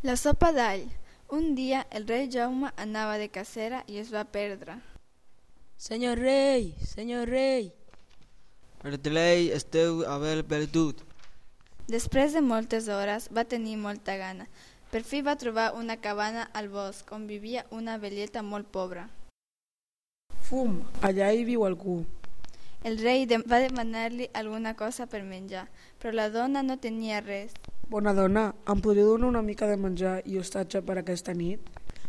La sopa d'all. Un dia el rei Jaume anava de cacera i es va perdre. Senyor rei, senyor rei. Perdrei esteu haver perdut. Després de moltes hores va tenir molta gana. Per fi va trobar una cabana al bosc on vivia una velleta molt pobra. Fum, allà hi viu algú. El rei va demanar-li alguna cosa per menjar, però la dona no tenia res. Bona dona, em podria donar una mica de menjar i hostatge per aquesta nit?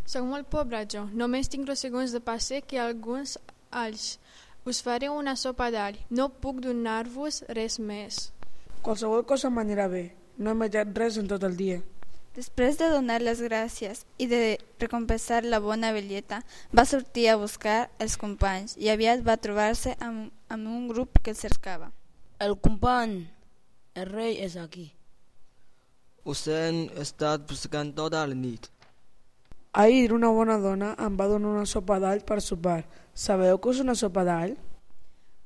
Soc molt pobra jo, només tinc 2 segons de pa sec i alguns alls. Us faré una sopa d'all, no puc donar-vos res més. Qualsevol cosa m'anirà bé, no he menjat res en tot el dia. Després de donar les gràcies i de recompensar la bona velleta, va sortir a buscar els companys i aviat va trobar-se amb un grup que el cercava. El company, el rei és aquí. Us hem estat buscant tota la nit. Ahir una bona dona em va donar una sopa d'all per sopar. Sabeu què és una sopa d'all?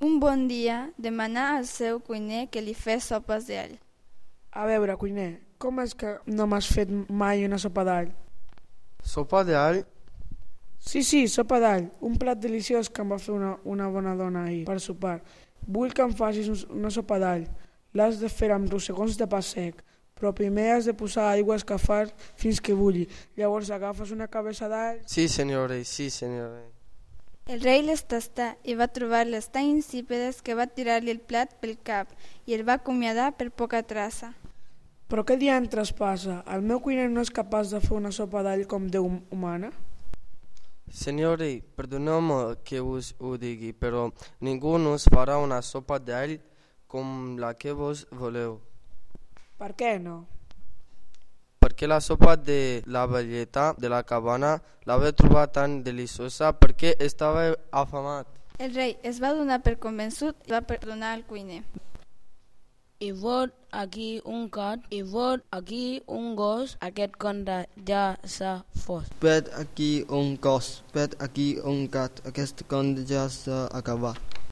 Un bon dia demanà al seu cuiner que li fes sopes d'all. A veure, cuiner, com és que no m'has fet mai una sopa d'all? Sopa d'all? Sí, sopa d'all, un plat deliciós que em va fer una bona dona ahir per sopar. Vull que em facis una sopa d'all. L'has de fer amb rossegons de pa sec, però primer has de posar aigua a escalfar fins que bulli. Llavors agafes una cabeça d'all... Sí, senyor rei, sí, senyor rei. El rei les tastà i va trobar-les tan insípides que va tirar-li el plat pel cap i el va acomiadar per poca traça. Però què diantres passa? El meu cuiner no és capaç de fer una sopa d'all com Déu humana? Senyor rei, perdoneu-me que us ho digui, però ningú no us farà una sopa d'all com la que vos voleu. Per què no? Perquè la sopa de la velleta de la cabana la vaig trobar tan deliciosa perquè estava afamat. El rei es va donar per convençut i va perdonar al cuiner. I vot aquí un gat, i vot aquí un gos, aquest conte ja s'ha fos. Vet aquí un gos, vet aquí un gat, aquest conte ja s'ha acabat.